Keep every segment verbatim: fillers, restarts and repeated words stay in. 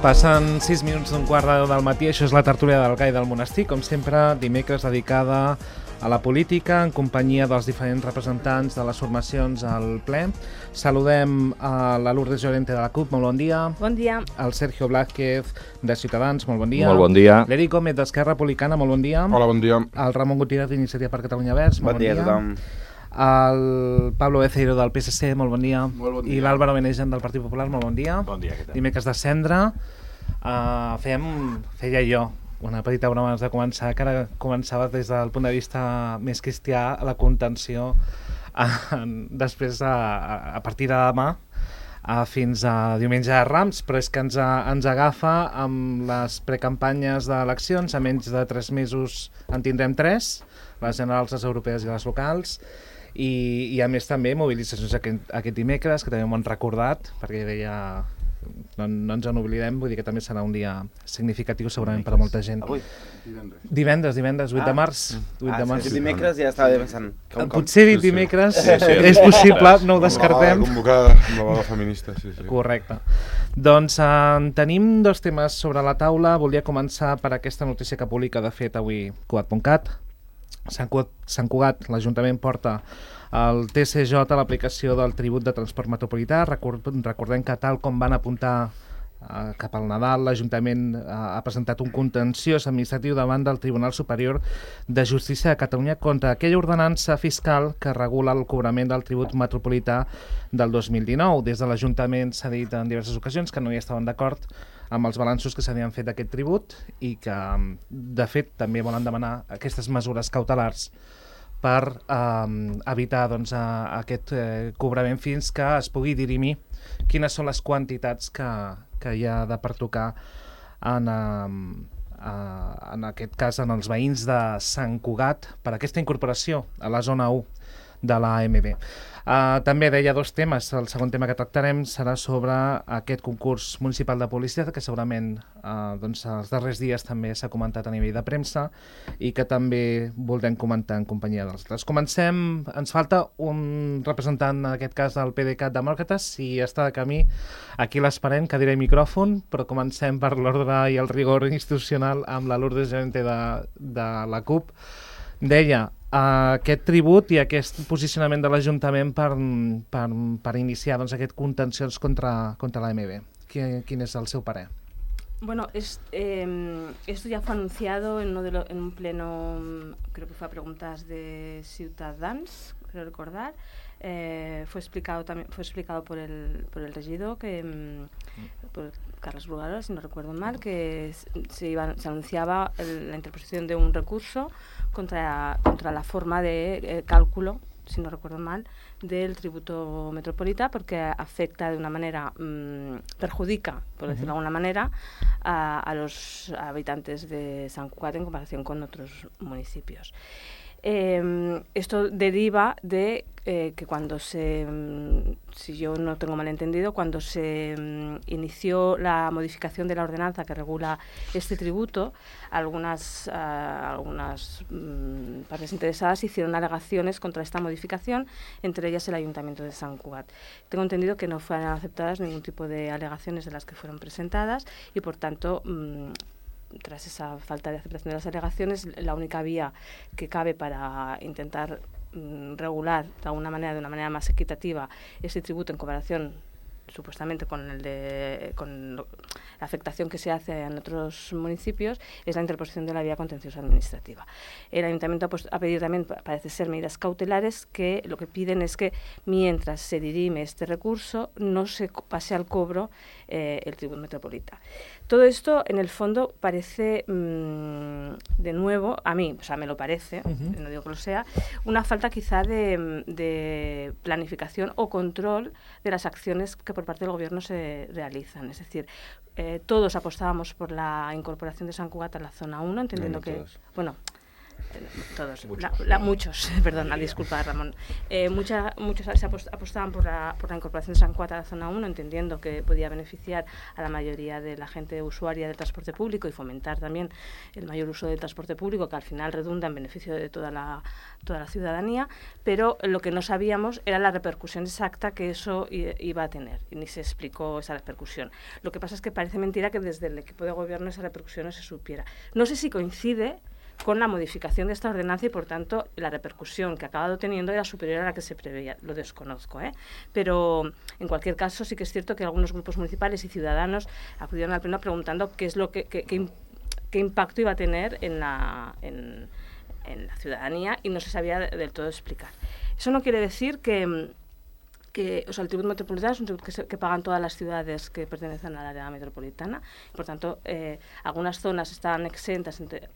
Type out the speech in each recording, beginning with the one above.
Passen sis minuts d'un quart de deu del matí, això és la tertúlia del Gai del Monestir, com sempre, dimecres dedicada a la política, en companyia dels diferents representants de les formacions al ple. Saludem a la Lourdes Llorente de la CUP, molt bon dia. Bon dia. El Sergio Blázquez de Ciutadans, molt bon dia. Molt bon dia. L'Eric Gómez d'Esquerra Republicana, molt bon dia. Hola, bon dia. El Ramon Gutiérrez d'Iniciativa per Catalunya Verds, molt Bon bon dia a dia. tothom. El Pablo Beceiro del P S C, molt bon dia. Molt bon dia. I l'Àlvaro Benejan del Partit Popular, molt bon dia. Bon dia, què tal? Dimecres de Cendra. Uh, fèiem, feia jo una petita broma abans de començar, que ara començava des del punt de vista més cristià la contenció uh, després a, a partir de demà uh, fins a diumenge de Rams, però és que ens, uh, ens agafa amb les precampanyes d'eleccions, a menys de tres mesos en tindrem tres, les generals, les europees i les locals, i, i a més també mobilitzacions aquest, aquest dimecres, que també m'ho han recordat, perquè deia... No, no ens en oblidem, vull dir que també serà un dia significatiu segurament per a molta gent. Avui? Divendres. Divendres, divendres, vuit de Ah. març. vuit Ah, de març. sí, dimecres ja estava pensant. Com, com? Potser dit Sí, sí. dimecres Sí, sí. és possible, no ho Amb la descartem. vaga convocada amb la vaga feminista, sí, sí. Correcte. Doncs eh, tenim dos temes sobre la taula. Volia començar per aquesta notícia que publica, de fet, avui Cugat punt cat. Sant Cugat, Sant Cugat, l'Ajuntament porta al T C J l'aplicació del tribut de transport metropolità. Record, recordem que tal com van apuntar eh, cap al Nadal, l'Ajuntament eh, ha presentat un contenciós administratiu davant del Tribunal Superior de Justícia de Catalunya contra aquella ordenança fiscal que regula el cobrament del tribut metropolità del dos mil dinou. Des de l'Ajuntament s'ha dit en diverses ocasions que no hi estaven d'acord amb els balanços que s'havien fet d'aquest tribut i que, de fet, també volen demanar aquestes mesures cautelars per eh, evitar doncs, a, aquest eh, cobrament fins que es pugui dirimir quines són les quantitats que, que hi ha de pertocar en, eh, eh, en aquest cas en els veïns de Sant Cugat per aquesta incorporació a la zona u de la A M B. Uh, també deia dos temes. El segon tema que tractarem serà sobre aquest concurs municipal de publicitat que segurament uh, doncs, els darrers dies també s'ha comentat a nivell de premsa i que també voldrem comentar en companyia dels altres. Comencem, ens falta un representant en aquest cas del P D C A T Demòcrates, si està de camí aquí l'esperem, cadira i micròfon, però comencem per l'ordre i el rigor institucional amb la Lourdes Llorente de, de la CUP. Deia, Uh, aquest tribut i aquest posicionament de l'Ajuntament per, per, per iniciar doncs, aquest contenciós contra, contra la A M B. Quin, quin és el seu parer? Bueno, es, eh, esto ya fue anunciado en, uno de lo, en un pleno, creo que fue a preguntas de Ciutadans, creo recordar. Eh, fue explicado también fue explicado por el por el regidor que por Carlos Brugador, si no recuerdo mal, que se iba se anunciaba el, la interposición de un recurso contra contra la forma de eh, cálculo, si no recuerdo mal, del tributo metropolitano, porque afecta de una manera, mmm, perjudica, por decirlo de alguna manera, a, a los habitantes de Sant Cugat en comparación con otros municipios. Eh, esto deriva de eh, que cuando se, si yo no tengo mal entendido, cuando se um, inició la modificación de la ordenanza que regula este tributo, algunas, uh, algunas um, partes interesadas hicieron alegaciones contra esta modificación, entre ellas el Ayuntamiento de Sant Cugat. Tengo entendido que no fueron aceptadas ningún tipo de alegaciones de las que fueron presentadas y, por tanto, um, tras esa falta de aceptación de las alegaciones, la única vía que cabe para intentar mm, regular de alguna manera, de una manera más equitativa, ese tributo en comparación supuestamente con el de con lo, la afectación que se hace en otros municipios, es la interposición de la vía contenciosa administrativa. El Ayuntamiento pues, ha pedido también, parece ser, medidas cautelares que lo que piden es que mientras se dirime este recurso no se pase al cobro eh, el tributo metropolitano. Todo esto, en el fondo, parece, mmm, de nuevo, a mí, o sea, me lo parece, uh-huh. no digo que lo sea, una falta quizá de, de planificación o control de las acciones que por parte del Gobierno se realizan. Es decir, eh, todos apostábamos por la incorporación de Sant Cugat a la zona uno, entendiendo no, no que, todos. bueno, todos, la, la, muchos, perdona, disculpa Ramón, eh, mucha, muchos se apostaban por la, por la incorporación de Sant Cugat a la zona uno, entendiendo que podía beneficiar a la mayoría de la gente usuaria del transporte público y fomentar también el mayor uso del transporte público, que al final redunda en beneficio de toda la, toda la ciudadanía, pero lo que no sabíamos era la repercusión exacta que eso iba a tener, y ni se explicó esa repercusión. Lo que pasa es que parece mentira que desde el equipo de gobierno esa repercusión no se supiera. No sé si coincide con la modificación de esta ordenanza y, por tanto, la repercusión que ha acabado teniendo era superior a la que se preveía. Lo desconozco, ¿eh? Pero, en cualquier caso, sí que es cierto que algunos grupos municipales y ciudadanos acudieron al pleno preguntando qué es lo que, que, que, qué impacto iba a tener en la, en, en la ciudadanía, y no se sabía del todo explicar. Eso no quiere decir que... Que, o sea, el tributo metropolitano es un tributo que, se, que pagan todas las ciudades que pertenecen al área metropolitana. Por tanto, eh, algunas zonas están exentas, entre,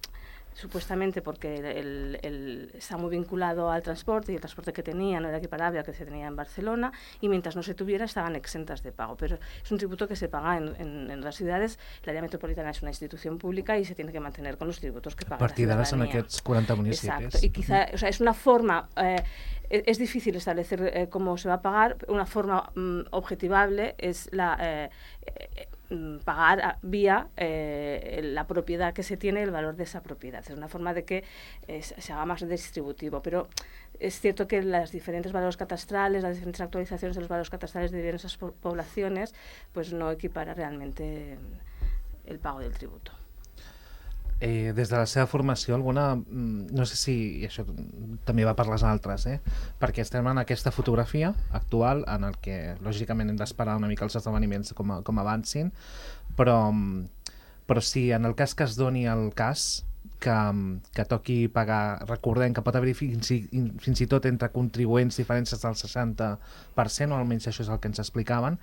supuestamente porque el, el, el, está muy vinculado al transporte, y el transporte que tenía no era equiparable al que se tenía en Barcelona, y mientras no se tuviera estaban exentas de pago. Pero es un tributo que se paga en, en, en las ciudades. El área metropolitana es una institución pública y se tiene que mantener con los tributos que paga la ciudadanía. A partir d'ara són aquests quaranta municipis. Exacto, y quizá, o sea, es una forma... Eh, es difícil establecer eh, cómo se va a pagar. Una forma mm, objetivable es la eh, eh, pagar a, vía eh, la propiedad que se tiene, el valor de esa propiedad. Es una forma de que eh, se haga más distributivo, pero es cierto que las diferentes valores catastrales, las diferentes actualizaciones de los valores catastrales de diversas po poblaciones, pues no equipara realmente el pago del tributo. Eh, des de la seva formació, alguna, no sé si, i això també va per les altres, eh? perquè estem en aquesta fotografia actual en el que lògicament hem d'esperar una mica els esdeveniments com, a, com avancin, però, però si en el cas que es doni el cas que, que toqui pagar, recordem que pot haver-hi fins, fins i tot entre contribuents diferències del seixanta per cent, o almenys això és el que ens explicaven,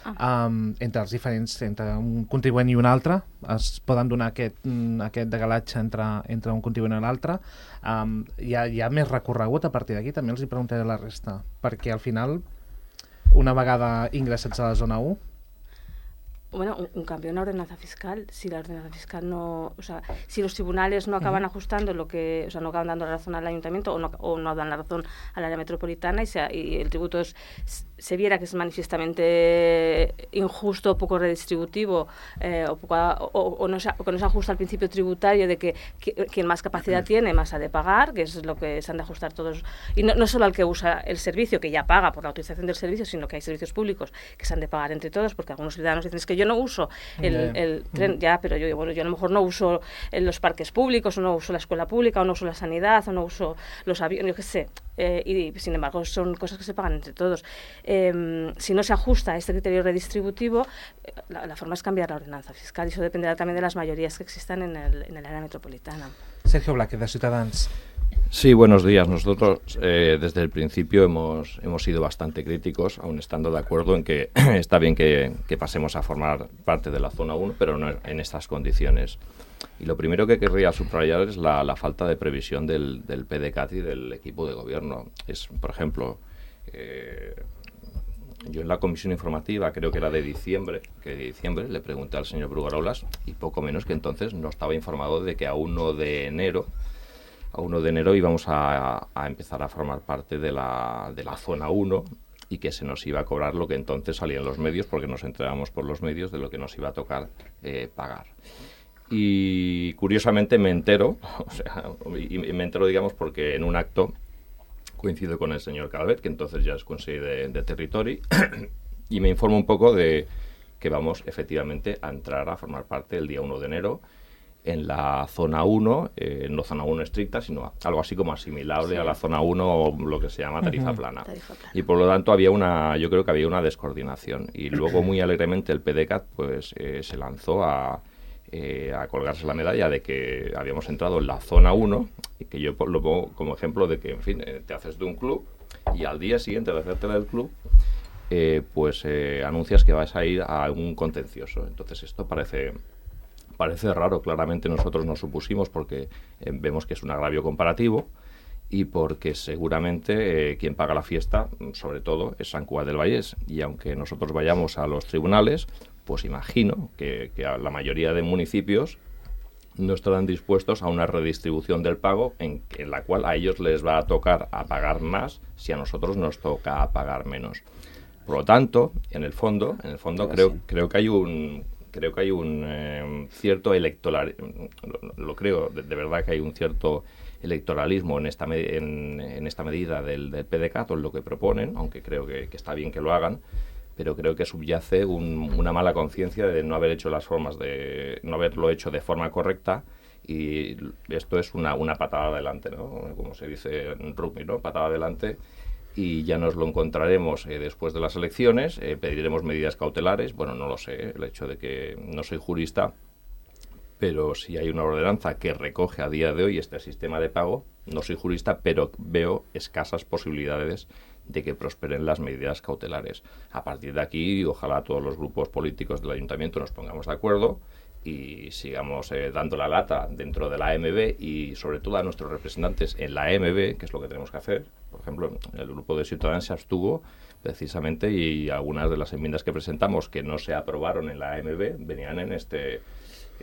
ah. um, entre els diferents, entre un contribuent i un altre, es poden donar aquest, aquest degalatge entre, entre un contribuent i l'altre. Um, hi, ha, hi ha més recorregut a partir d'aquí, també els hi preguntaré la resta, perquè al final, una vegada ingressats a la zona u, Bueno, un, un cambio en la ordenanza fiscal. Si la ordenanza fiscal no, o sea, si los tribunales no acaban uh-huh. ajustando lo que, o sea, no acaban dando la razón al ayuntamiento, o no, o no dan la razón al área metropolitana, y, sea, y el tributo es, se viera que es manifiestamente injusto, poco redistributivo, eh, o, poco, o, o, no se, o que no se ajusta al principio tributario de que, que quien más capacidad uh-huh. tiene, más ha de pagar, que es lo que se han de ajustar todos, y no, no solo al que usa el servicio, que ya paga por la utilización del servicio, sino que hay servicios públicos que se han de pagar entre todos, porque algunos ciudadanos dicen es que yo no uso el, el tren, ya, pero yo, bueno, yo a lo mejor no uso los parques públicos, o no uso la escuela pública, o no uso la sanidad, o no uso los aviones, yo qué sé, eh, y sin embargo son cosas que se pagan entre todos. Eh, si no se ajusta a este criterio redistributivo, la, la forma es cambiar la ordenanza fiscal, y eso dependerá también de las mayorías que existan en el, en el área metropolitana. Sergio Blázquez, de Ciutadans. Sí, buenos días. Nosotros eh, desde el principio hemos, hemos sido bastante críticos, aun estando de acuerdo en que está bien que, que pasemos a formar parte de la zona uno, pero no en estas condiciones. Y lo primero que querría subrayar es la, la falta de previsión del, del P D C A T y del equipo de gobierno. Es, por ejemplo, eh, yo en la comisión informativa, creo que era de diciembre, que de diciembre le pregunté al señor Brugarolas, y poco menos que entonces no estaba informado de que a uno de enero a uno de enero íbamos a, a empezar a formar parte de la, de la zona uno, y que se nos iba a cobrar lo que entonces salía en los medios, porque nos enterábamos por los medios de lo que nos iba a tocar eh, pagar. Y curiosamente me entero, o sea, y me entero, digamos, porque en un acto coincido con el señor Calvet, que entonces ya es consejero de, de Territori, y me informo un poco de que vamos efectivamente a entrar a formar parte el día uno de enero en la zona uno, eh, no zona uno estricta, sino algo así como asimilable sí. a la zona uno, o lo que se llama tarifa, uh-huh. plana. tarifa plana. Y por lo tanto había una, yo creo que había una descoordinación. Y luego muy alegremente el P D C A T pues, eh, se lanzó a, eh, a colgarse la medalla de que habíamos entrado en la zona uno, y que yo lo pongo como ejemplo de que, en fin, eh, te haces de un club y al día siguiente de hacerte del club, eh, pues eh, anuncias que vas a ir a un contencioso. Entonces esto parece... Parece raro, claramente nosotros nos supusimos porque eh, vemos que es un agravio comparativo, y porque seguramente eh, quien paga la fiesta, sobre todo, es Sant Cugat del Vallès. Y aunque nosotros vayamos a los tribunales, pues imagino que, que a la mayoría de municipios no estarán dispuestos a una redistribución del pago en, en la cual a ellos les va a tocar a pagar más si a nosotros nos toca a pagar menos. Por lo tanto, en el fondo, en el fondo creo, sí. creo que hay un creo que hay un eh, cierto electoral, lo, lo creo de, de verdad que hay un cierto electoralismo en esta me, en, en esta medida del, del P D C A T o en lo que proponen, aunque creo que, que está bien que lo hagan, pero creo que subyace un, una mala conciencia de no haber hecho las formas de no haberlo hecho de forma correcta, y esto es una, una patada adelante, ¿no? Como se dice en rugby, ¿no? Patada adelante, y ya nos lo encontraremos eh, después de las elecciones, eh, pediremos medidas cautelares, bueno, no lo sé, el hecho de que no soy jurista, pero si hay una ordenanza que recoge a día de hoy este sistema de pago, no soy jurista, pero veo escasas posibilidades de que prosperen las medidas cautelares. A partir de aquí, ojalá todos los grupos políticos del ayuntamiento nos pongamos de acuerdo y sigamos eh, dando la lata dentro de la A M B y sobre todo a nuestros representantes en la A M B, que es lo que tenemos que hacer. Por ejemplo, el grupo de Ciudadanos se abstuvo precisamente y algunas de las enmiendas que presentamos que no se aprobaron en la A M B venían en este...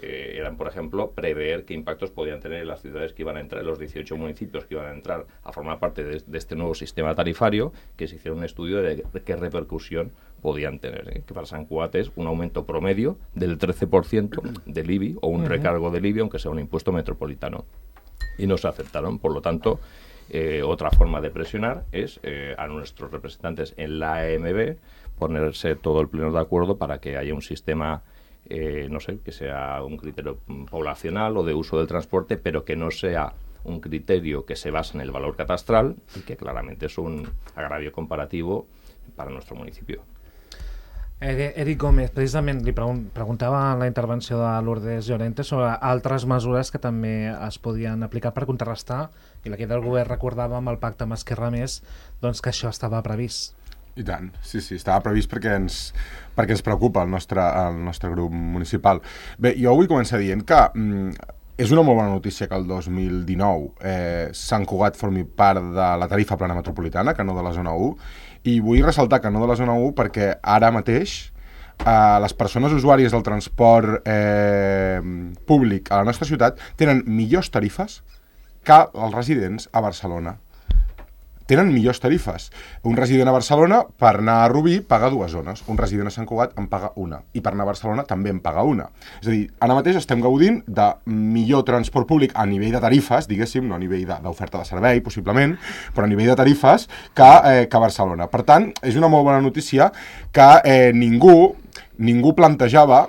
Eh, eran, por ejemplo, prever qué impactos podían tener en las ciudades que iban a entrar, los dieciocho municipios que iban a entrar a formar parte de, de este nuevo sistema tarifario, que se hiciera un estudio de, de qué repercusión podían tener, ¿eh? Que para San Cugat es un aumento promedio del trece por ciento del I B I o un uh-huh. recargo del I B I, aunque sea un impuesto metropolitano. Y no se aceptaron, por lo tanto, eh, otra forma de presionar es eh, a nuestros representantes en la A M B ponerse todo el pleno de acuerdo para que haya un sistema Eh, no sé, que sea un criterio poblacional o de uso del transporte, pero que no sea un criterio que se base en el valor catastral y que claramente es un agravio comparativo para nuestro municipio. Eric Gómez, precisament li pregun preguntava en la intervenció de Lourdes Llorente sobre altres mesures que també es podien aplicar per contrarrestar, i la que del govern recordava amb el pacte amb Esquerra Més, doncs que això estava previst. I tant, sí, sí, estava previst perquè ens, perquè ens preocupa el nostre, el nostre grup municipal. Bé, jo vull començar dient que mm, és una molt bona notícia que el dos mil dinou eh, Sant Cugat formi part de la tarifa plana metropolitana, que no de la zona u, i vull ressaltar que no de la zona u perquè ara mateix eh, les persones usuàries del transport eh, públic a la nostra ciutat tenen millors tarifes que els residents a Barcelona. Tenen millors tarifes. Un resident a Barcelona, per anar a Rubí, paga dues zones. Un resident a Sant Cugat en paga una. I per anar a Barcelona també en paga una. És a dir, ara mateix estem gaudint de millor transport públic a nivell de tarifes, diguéssim, no a nivell d'oferta de, de servei, possiblement, però a nivell de tarifes que, eh, que Barcelona. Per tant, és una molt bona notícia que eh, ningú, ningú plantejava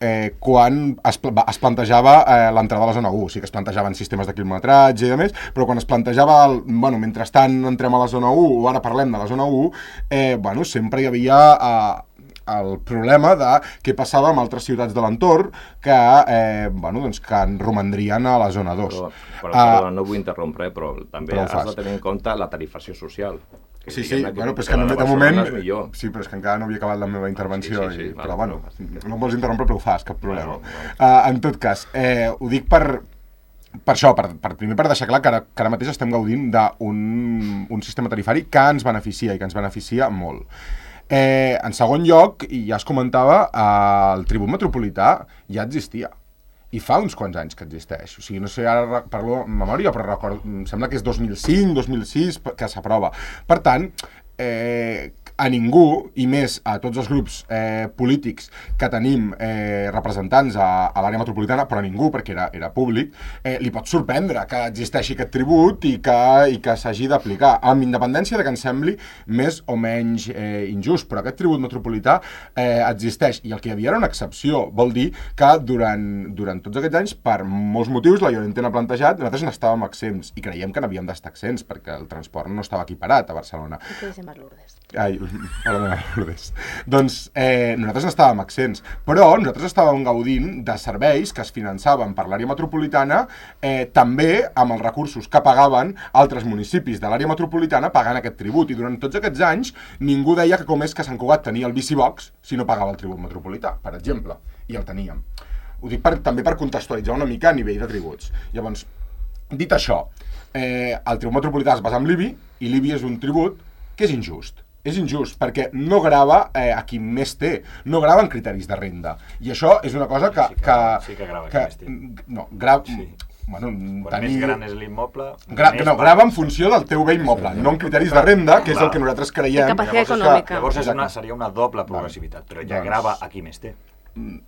Eh, quan es, pl es plantejava eh, l'entrada a la zona u. Sí que es plantejaven sistemes de quilometratge i de més, però quan es plantejava, el, bueno, mentrestant entrem a la zona u o ara parlem de la zona u, eh, bueno, sempre hi havia eh, el problema de què passava amb altres ciutats de l'entorn que, eh, bueno, doncs, que romandrien a la zona dos. Però, però, uh, però no vull interrompre, però també però has de tenir en compte la tarifació social. Sí, sí, bueno, però és que no, de moment... Sí, però és que encara no havia acabat la meva intervenció, sí, sí, sí, i, però bueno, no em vols interrompre, però ho fas, cap problema. No, no, no. Uh, en tot cas, eh, ho dic per, per això, per, per, primer per deixar clar que ara, que ara mateix estem gaudint d'un un sistema tarifari que ens beneficia i que ens beneficia molt. Eh, en segon lloc, i ja es comentava, eh, el tribut metropolità ja existia. I fa uns quants anys que existeix. O sigui, no sé, ara parlo en memòria, però record, em sembla que és dos mil cinc, dos mil sis que s'aprova. Per tant, eh, a ningú, i més a tots els grups eh, polítics que tenim eh, representants a, a l'àrea metropolitana, però a ningú, perquè era, era públic, eh, li pot sorprendre que existeixi aquest tribut i que, i que s'hagi d'aplicar, amb independència de que ens sembli més o menys eh, injust, però aquest tribut metropolità eh, existeix, i el que hi havia era una excepció. Vol dir que durant, durant tots aquests anys, per molts motius, la Llorente n'ha plantejat, nosaltres n'estàvem exempts, i creiem que n'havíem d'estar exempts, perquè el transport no estava equiparat a Barcelona. I què dicen per Lourdes? Ai, hola, Lourdes. Doncs eh, nosaltres estàvem accents, però nosaltres estàvem gaudint de serveis que es finançaven per l'àrea metropolitana, eh, també amb els recursos que pagaven altres municipis de l'àrea metropolitana pagant aquest tribut. I durant tots aquests anys ningú deia que com és que Sant Cugat tenia el bicibox si no pagava el tribut metropolità, per exemple, i el teníem. Ho dic per, també per contextualitzar una mica a nivell de tributs. Llavors, dit això, eh, el tribut metropolità es basa en l'I B I, i l'I B I és un tribut que és injust. és injust, perquè no grava eh, a qui més té, no grava en criteris de renda. I això és una cosa que... Sí que, que, sí que grava que, qui més té. no, grava... Sí. Bueno, Quan tenir... més gran és l'immoble... Gra no, grava en funció del teu bé immoble, no en criteris de renda, que és el que nosaltres creiem. De capacitat Llavors, econòmica. llavors és una, seria una doble progressivitat, però ja Doncs- grava a qui més té.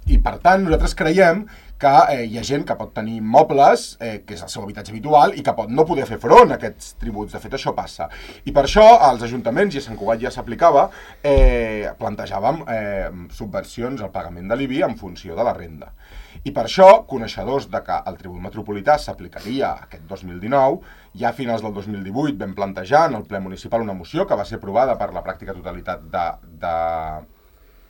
I per tant, nosaltres creiem que eh, hi ha gent que pot tenir immobles, eh, que és el seu habitatge habitual, i que pot no poder fer front a aquests tributs. De fet, això passa. I per això, als ajuntaments, i a Sant Cugat ja s'aplicava, eh, plantejàvem eh, subvencions al pagament de l'I B I en funció de la renda. I per això, coneixedors de que el tribut metropolità s'aplicaria aquest dos mil dinou, ja a finals del dos mil divuit vam plantejar en el ple municipal una moció que va ser aprovada per la pràctica totalitat de... de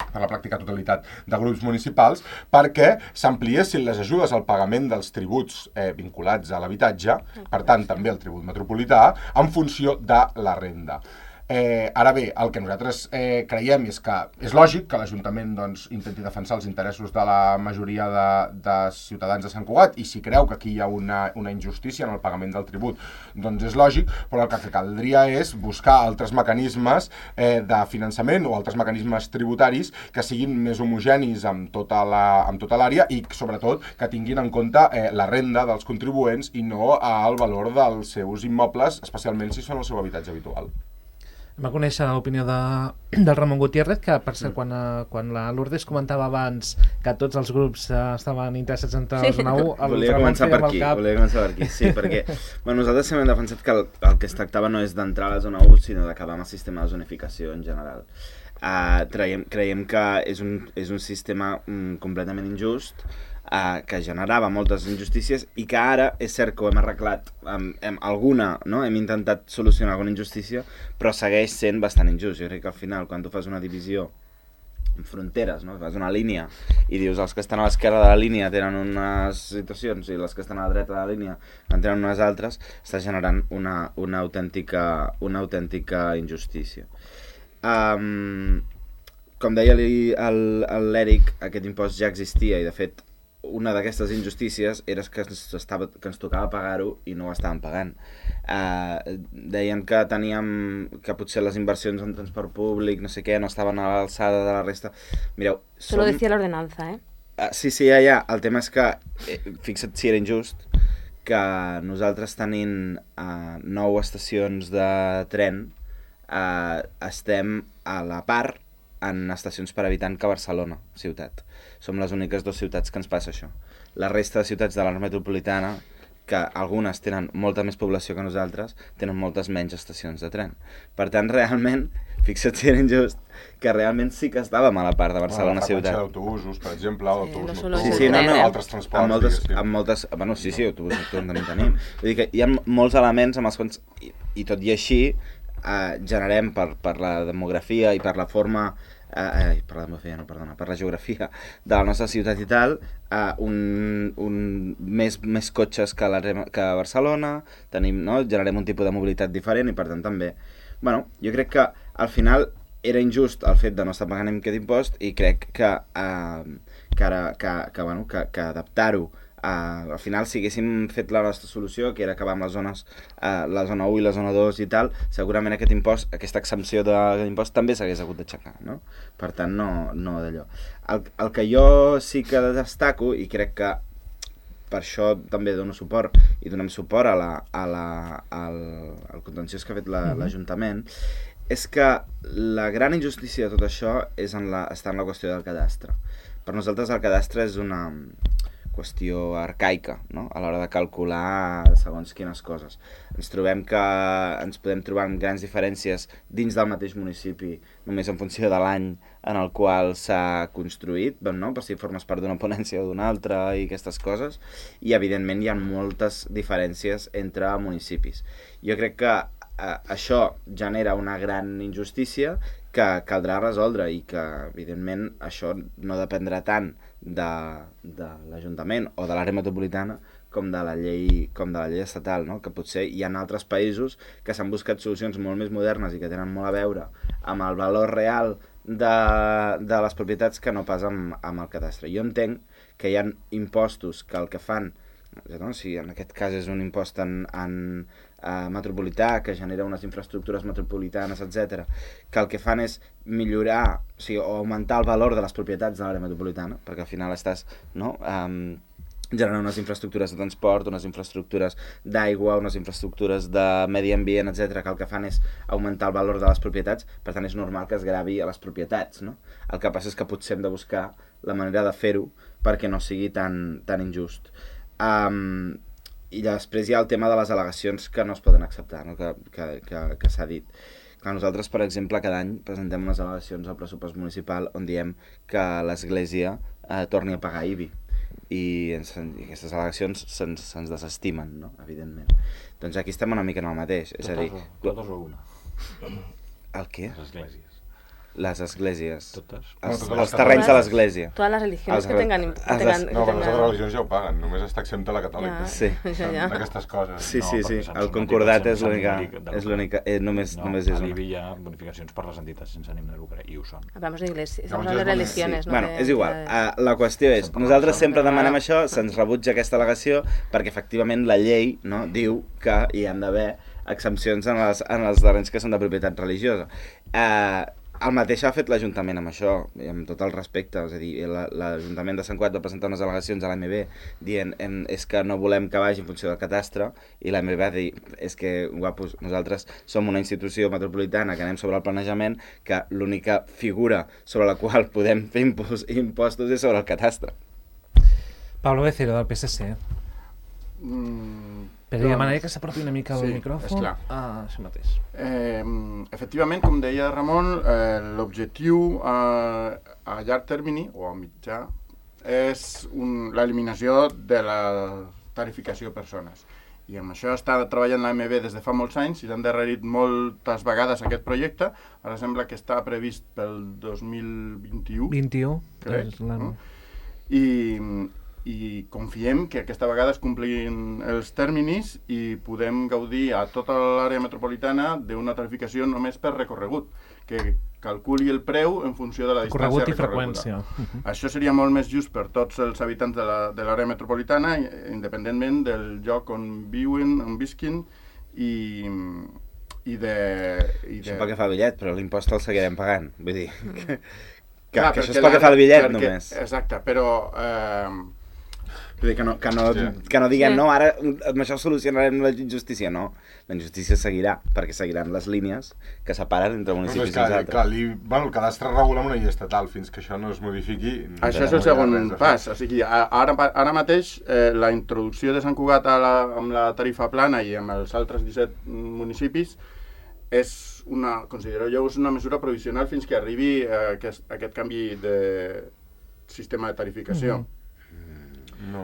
per la pràctica totalitat de grups municipals, perquè s'ampliessin les ajudes al pagament dels tributs eh, vinculats a l'habitatge, per tant també el tribut metropolità, en funció de la renda. Eh, ara bé, el que nosaltres eh, creiem és que és lògic que l'Ajuntament doncs, intenti defensar els interessos de la majoria de, de ciutadans de Sant Cugat, i si creu que aquí hi ha una, una injustícia en el pagament del tribut, doncs és lògic, però el que caldria és buscar altres mecanismes eh, de finançament o altres mecanismes tributaris que siguin més homogenis amb tota l'àrea i sobretot que tinguin en compte eh, la renda dels contribuents i no el valor dels seus immobles, especialment si són el seu habitatge habitual. Va conèixer l'opinió de, del Ramon Gutiérrez, que per cert, quan, quan la Lourdes comentava abans que tots els grups eh, estaven interessats en entrar a la zona u, el volia Ramon començar per feia amb aquí, el cap. volia començar per aquí, sí, perquè bueno, nosaltres sempre hem defensat que el, el que es tractava no és d'entrar a la zona u, sinó d'acabar amb el sistema de zonificació en general. Uh, creiem, creiem que és un, és un sistema um, completament injust, Uh, que generava moltes injustícies i que ara és cert que ho hem arreglat um, hem, alguna, no? Hem intentat solucionar alguna injustícia, però segueix sent bastant injust. Jo crec que al final quan tu fas una divisió en fronteres, no? Fas una línia i dius els que estan a l'esquerra de la línia tenen unes situacions i els que estan a la dreta de la línia en tenen unes altres, està generant una, una, autèntica, una autèntica injustícia. Um, com deia l'Eric, aquest impost ja existia i de fet una d'aquestes injustícies era que ens, estava, que ens tocava pagar-ho i no ho estàvem pagant. Uh, deien que teníem que potser les inversions en transport públic, no sé què, no estaven a l'alçada de la resta. Mireu, som... Eso lo decía la ordenanza, eh? Uh, sí, sí, ja, ja. El tema és que, eh, fixa't si era injust, que nosaltres tenint uh, nou estacions de tren uh, estem a la part en estacions per habitant que Barcelona, ciutat. Som les úniques dues ciutats que ens passa això. La resta de ciutats de l'àrea metropolitana, que algunes tenen molta més població que nosaltres, tenen moltes menys estacions de tren. Per tant, realment, fixa't si era injust, que realment sí que estàvem a la part de Barcelona la ciutat. d'autobusos, per exemple, Sí, autobús no solo Sí, nocturn, sí, no, no, altres transports. amb moltes, diguéssim. amb moltes, bueno, sí, sí, autobús nocturn també tenim. Vull dir que hi ha molts elements amb els quals, i, i tot i així, eh, generem per, per la demografia i per la forma, eh, per la demografia, no, perdona, per la geografia de la nostra ciutat i tal, eh, un, un, més, més cotxes que, la, que a Barcelona, tenim, no? Generem un tipus de mobilitat diferent i per tant també, bueno, jo crec que al final era injust el fet de no estar pagant aquest impost i crec que, eh, que, ara, que, que, bueno, que, que adaptar-ho Uh, al final si haguéssim fet la nostra solució, que era acabar amb les zones, uh, la zona u i la zona dos i tal, segurament aquest impost, aquesta exempció d'impost també s'hagués hagut d'aixecar, no? Per tant, no, no d'allò. El, el que jo sí que destaco, i crec que per això també dono suport, i donem suport a la, a la, al, al contenciós que ha fet la, l'Ajuntament, és que la gran injustícia de tot això és en la, està en la qüestió del cadastre. Per nosaltres el cadastre és una qüestió arcaica, no? A l'hora de calcular segons quines coses. Ens trobem que ens podem trobar amb grans diferències dins del mateix municipi, només en funció de l'any en el qual s'ha construït, no? Per si formes part d'una ponència o d'una altra i aquestes coses, i evidentment hi ha moltes diferències entre municipis. Jo crec que eh, això genera una gran injustícia que caldrà resoldre i que, evidentment, això no dependrà tant de, de l'Ajuntament o de l'àrea metropolitana com de la llei, com de la llei estatal, no? Que potser hi ha altres països que s'han buscat solucions molt més modernes i que tenen molt a veure amb el valor real de, de les propietats que no pas amb, amb el cadastre. Jo entenc que hi ha impostos que el que fan, no? Si en aquest cas és un impost en, en, eh, metropolità, que genera unes infraestructures metropolitanes, etcètera, que el que fan és millorar, o sigui, o augmentar el valor de les propietats de l'àrea metropolitana, perquè al final estàs, no?, um, generant unes infraestructures de transport, unes infraestructures d'aigua, unes infraestructures de medi ambient, etcètera, que el que fan és augmentar el valor de les propietats, per tant és normal que es gravi a les propietats, no? El que passa és que potser hem de buscar la manera de fer-ho perquè no sigui tan, tan injust. Um, I després hi ha el tema de les al·legacions que no es poden acceptar, no? que, que, que, que s'ha dit. Clar, nosaltres, per exemple, cada any presentem unes al·legacions al pressupost municipal on diem que l'Església eh, torni a pagar I B I. I, ens, i aquestes al·legacions se'ns, se'ns desestimen, no? Evidentment. Doncs aquí estem una mica en el mateix. És a dir, totes o una? el què? Les esglésies. Les esglésies. Totes. Els, No, totes els terrenys de l'església. Todas las religiones Els que re- tengan... els que tengan, res- No, que però les tengan- altres religions ja ho paguen, només està exempta la catòlica. Ja. Sí. Ja, ja. D'aquestes coses. Sí, No, sí, perquè sí. Sant El Martí concordat pot ser és l'única... sense ànim de És lucre. l'única... Eh, només, No, només és a una. l'I B I hi ha bonificacions per les entitats sense ànim de lucre, i ho són. Hablamos de iglesia, Hablamos estamos hablando de de- religiones, Sí. no Bueno, de és igual. entidades. Uh, la qüestió és, Sempre nosaltres pensem. sempre demanem això, se'ns rebutja aquesta al·legació perquè efectivament la llei, no, diu que hi han d'haver exempcions en, les, en els terrenys que són de propietat religiosa. Uh, el mateix ha fet l'Ajuntament amb això, i amb tot el respecte. És a dir, la- l'Ajuntament de Sant Cugat va presentar unes al·legacions a l'A M B dient em, és que no volem que vagi en funció del catastre, i l'A M B va dir és que, guapos, nosaltres som una institució metropolitana que anem sobre el planejament, que l'única figura sobre la qual podem fer impos, impostos és sobre el catastre. Pablo Becero, del P S C. Mm, Però doncs, demanaria que s'apropi una mica sí, el micròfon. esclar. Ah, això mateix. Eh, efectivament, com deia Ramon, eh, l'objectiu eh, a llarg termini, o a mitjà, és un, l'eliminació de la tarificació per zones. I amb això està treballant l'A M B des de fa molts anys i s'han endarrerit moltes vegades aquest projecte. Ara sembla que està previst pel dos mil vint-i-u. vint-i-u. crec, és l'any. no? I, i confiem que aquesta vegada es complin els terminis i podem gaudir a tota l'àrea metropolitana d'una tarificació només per recorregut, que calculi el preu en funció de la distància Corregut i recorreguda. freqüència. Això seria molt més just per tots els habitants de la- de l'àrea metropolitana, independentment del lloc on viuen, on visquin, i, i de... I de... Això pel que fa al bitllet, però l'impost el seguirem pagant. Vull dir, que, que, Clar, que això perquè és pel que la- fa al bitllet perquè- només. Exacte, però... Eh, Vull dir que no, que no, Sí. que no diguem, Sí. no, ara amb això solucionarem la injustícia. No, la injustícia seguirà, perquè seguiran les línies que separen entre No, municipis és i que, els altres. clar, li, bueno, el cadastre regula amb una llei estatal, fins que això no es modifiqui... Això és no el segon hi ha res a fer. pas. O sigui, a- ara, ara mateix eh, la introducció de Sant Cugat a la, amb la tarifa plana i amb els altres disset municipis és una, considero jo, és una mesura provisional fins que arribi eh, aquest, aquest canvi de sistema de tarificació. Mhm. No.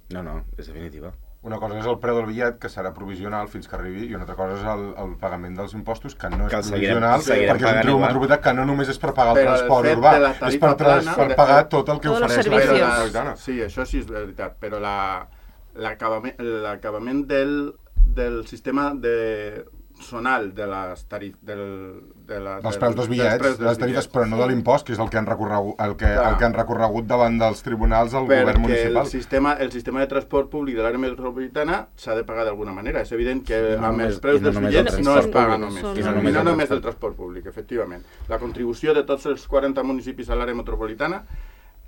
No, no, és definitiva. Una cosa és el preu del bitllet, que serà provisional fins que arribi, i una altra cosa és el, el pagament dels impostos, que no és Que el seguirem- provisional, seguirem perquè és un pagant tribu igual. metropolità que no només és per pagar el Però el transport fet urbà, de la és tarifa per, trans, plana, per de- pagar tot el que Tots els ofereix Però l'àrea servicios. la, metropolitana. sí, això sí és veritat, però la- l'acabament l'acabament del, del sistema de zonal de les tarif, del, de la, Dels del- preus dels bitllets, preus de les tarifes, però no de l'impost, que és el que han recorregut, el que, Clar. el que han recorregut davant dels tribunals del govern perquè municipal. el sistema, el sistema de transport públic de l'àrea metropolitana s'ha de pagar d'alguna manera. És evident que I no amb només- els preus i no dels només bitllets el no es transport paga públic, només. són- I no, I no només, només no el només el transport. transport públic, efectivament. La contribució de tots els quaranta municipis a l'àrea metropolitana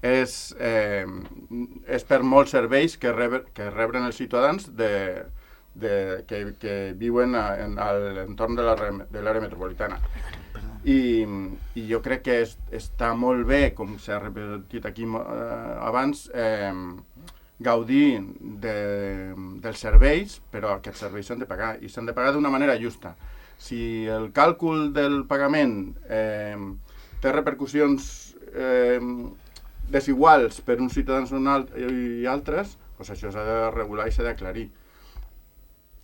és, eh, és per molts serveis que, rebre, que rebren els ciutadans de, de, que, que viuen a, en, a l'entorn de l'àrea de l'àrea metropolitana. I, i jo crec que és, està molt bé, com s'ha repetit aquí eh, abans, eh, gaudir de, dels serveis, però aquests serveis s'han de pagar, i s'han de pagar d'una manera justa. Si el càlcul del pagament eh, té repercussions eh, desiguals per uns ciutadans i altres, doncs això s'ha de regular i s'ha d'aclarir.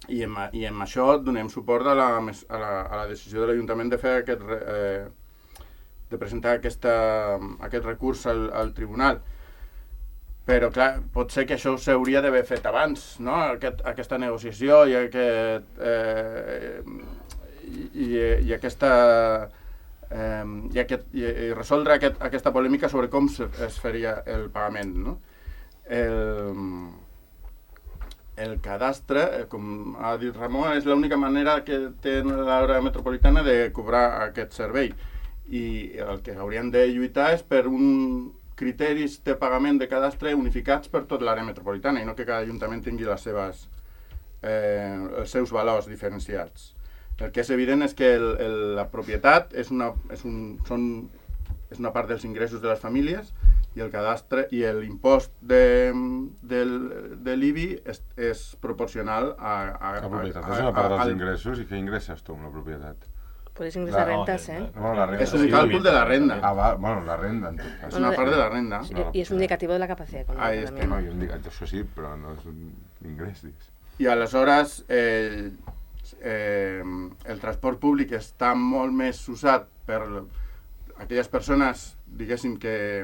I amb, I amb això donem suport a la, a la, a la decisió de l'Ajuntament de fer aquest, eh, de presentar aquesta, aquest recurs al, al tribunal. Però, clar, pot ser que això s'hauria d'haver fet abans, no? Aquest, aquesta negociació i, aquest, eh, i, i, i aquesta... Eh, i, aquest, i, i resoldre aquest, aquesta polèmica sobre com se, es faria el pagament, no? El, el cadastre, eh, com ha dit Ramon, és l'única manera que té l'àrea metropolitana de cobrar aquest servei. I el que haurien de lluitar és per un criteris de pagament de cadastre unificats per tot l'àrea metropolitana i no que cada ajuntament tingui les seves, eh, els seus valors diferenciats. El que és evident és que el, el, la propietat és una, és, un, són, és una part dels ingressos de les famílies i el cadastre i l'impost de, de, de l'I B I és, és proporcional a... a la propietat a, és una part a, dels al, ingressos i què ingresses tu amb la propietat? Puedes ingresar La- rentas, ¿eh? Bueno, la renda. és un càlcul de la renda. Ah, va, bueno, la renda, en tot cas. És una part de la renda. Y- Y es un indicativo de la capacidad económica Ahí también. No, jo dic, això sí, però no és un ingrés, digues. I aleshores eh, eh, el transport públic està molt més usat per aquelles persones, diguéssim, que,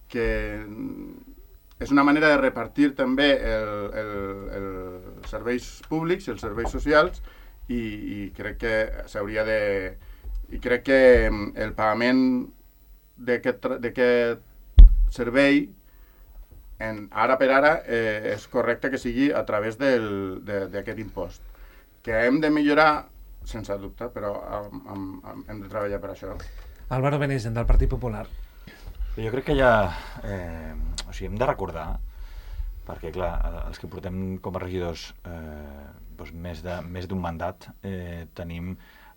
que és una manera de repartir també el, el, el serveis públics i els serveis socials i, i crec que s'hauria de... I crec que el pagament d'aquest tra- d'aquest servei en, ara per ara eh, és correcte que sigui a través del- de- d'aquest impost. Que hem de millorar, sense dubte, però am, am, am, hem de treballar per això. Álvaro Benesen, del Partit Popular. Jo crec que ja... Eh, o sigui, hem de recordar, perquè, clar, els que portem com a regidors eh, doncs més de- més d'un mandat, eh, tenim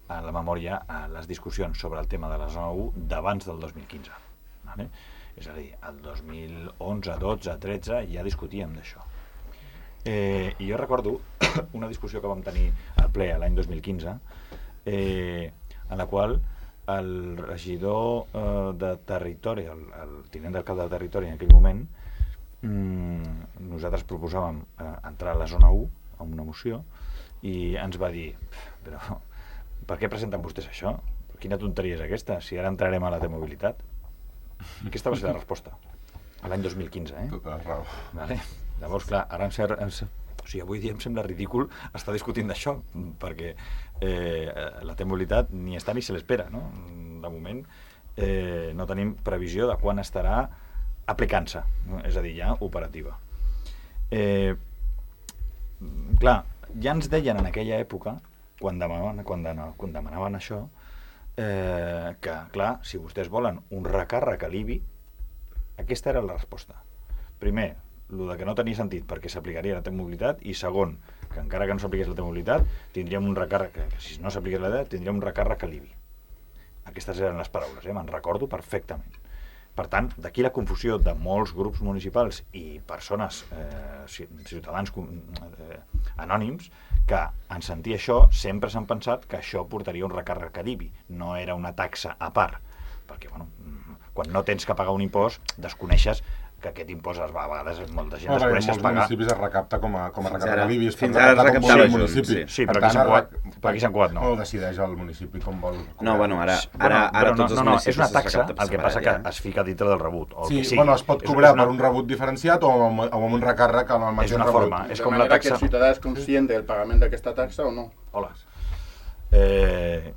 a la memòria a les discussions sobre el tema de la zona u d'abans del dos mil quinze. Vale? És a dir, el dos mil onze, dotze, tretze ja discutíem d'això. Eh, I jo recordo una discussió que vam tenir al ple l'any dos mil quinze, eh, en la qual el regidor eh, de territori, el, el tinent d'alcalde de territori en aquell moment, mmm, nosaltres proposàvem eh, entrar a la zona u amb una moció i ens va dir, però per què presenten vostès això? Quina tonteria és aquesta, si ara entrarem a la T-mobilitat? Aquesta va ser la resposta, a l'any dos mil quinze, eh? Tota la raó. Vale. Llavors, clar, ara em ser, em ser, o sigui, avui dia em sembla ridícul estar discutint d'això, perquè eh, la T-mobilitat ni està ni se l'espera, no? De moment eh, no tenim previsió de quan estarà aplicant-se, no? És a dir, ja operativa. Eh, clar, ja ens deien en aquella època, quan demanaven, quan, de, quan demanaven això, eh, que, clar, si vostès volen un recàrrec a l'I B I, aquesta era la resposta. Primer, el de que no tenia sentit perquè s'aplicaria la T-mobilitat, i segon, que encara que no s'apliqués la T-mobilitat, tindríem un recàrrec, que si no s'apliqués la T, tindríem un recàrrec a l'I B I. Aquestes eren les paraules, eh? Me'n recordo perfectament. Per tant, d'aquí la confusió de molts grups municipals i persones, eh, ciutadans eh, anònims, que en sentir això sempre s'han pensat que això portaria un recàrrec a l'I B I, no era una taxa a part, perquè bueno, quan no tens que pagar un impost desconeixes que aquest impost es va, a vegades molta gent Bueno, en desconeix es molts pagar. municipis es recapta com a, com a Fins recapta ara- a l'I B I. es pot fins ara es recaptar com recaptava vol el junt, municipi. sí. Sí, Per però tant, aquí Sant es Cugat- rec- per aquí Sant Cugat no. No, decideix el municipi com vol. No, bueno, ara, Bueno, ara, ara però no, tots els no, no, municipis és una es taxa, recapta per el que separat, passa que ja. es fica dintre del rebut, o el Sí, que sigui. bueno, es pot És- cobrar és una- per un rebut diferenciat o amb, o amb un recàrrec amb el mateix És una rebut. forma, és de com la manera que taxa... el ciutadà és conscient del pagament d'aquesta taxa o no. Hola. Eh,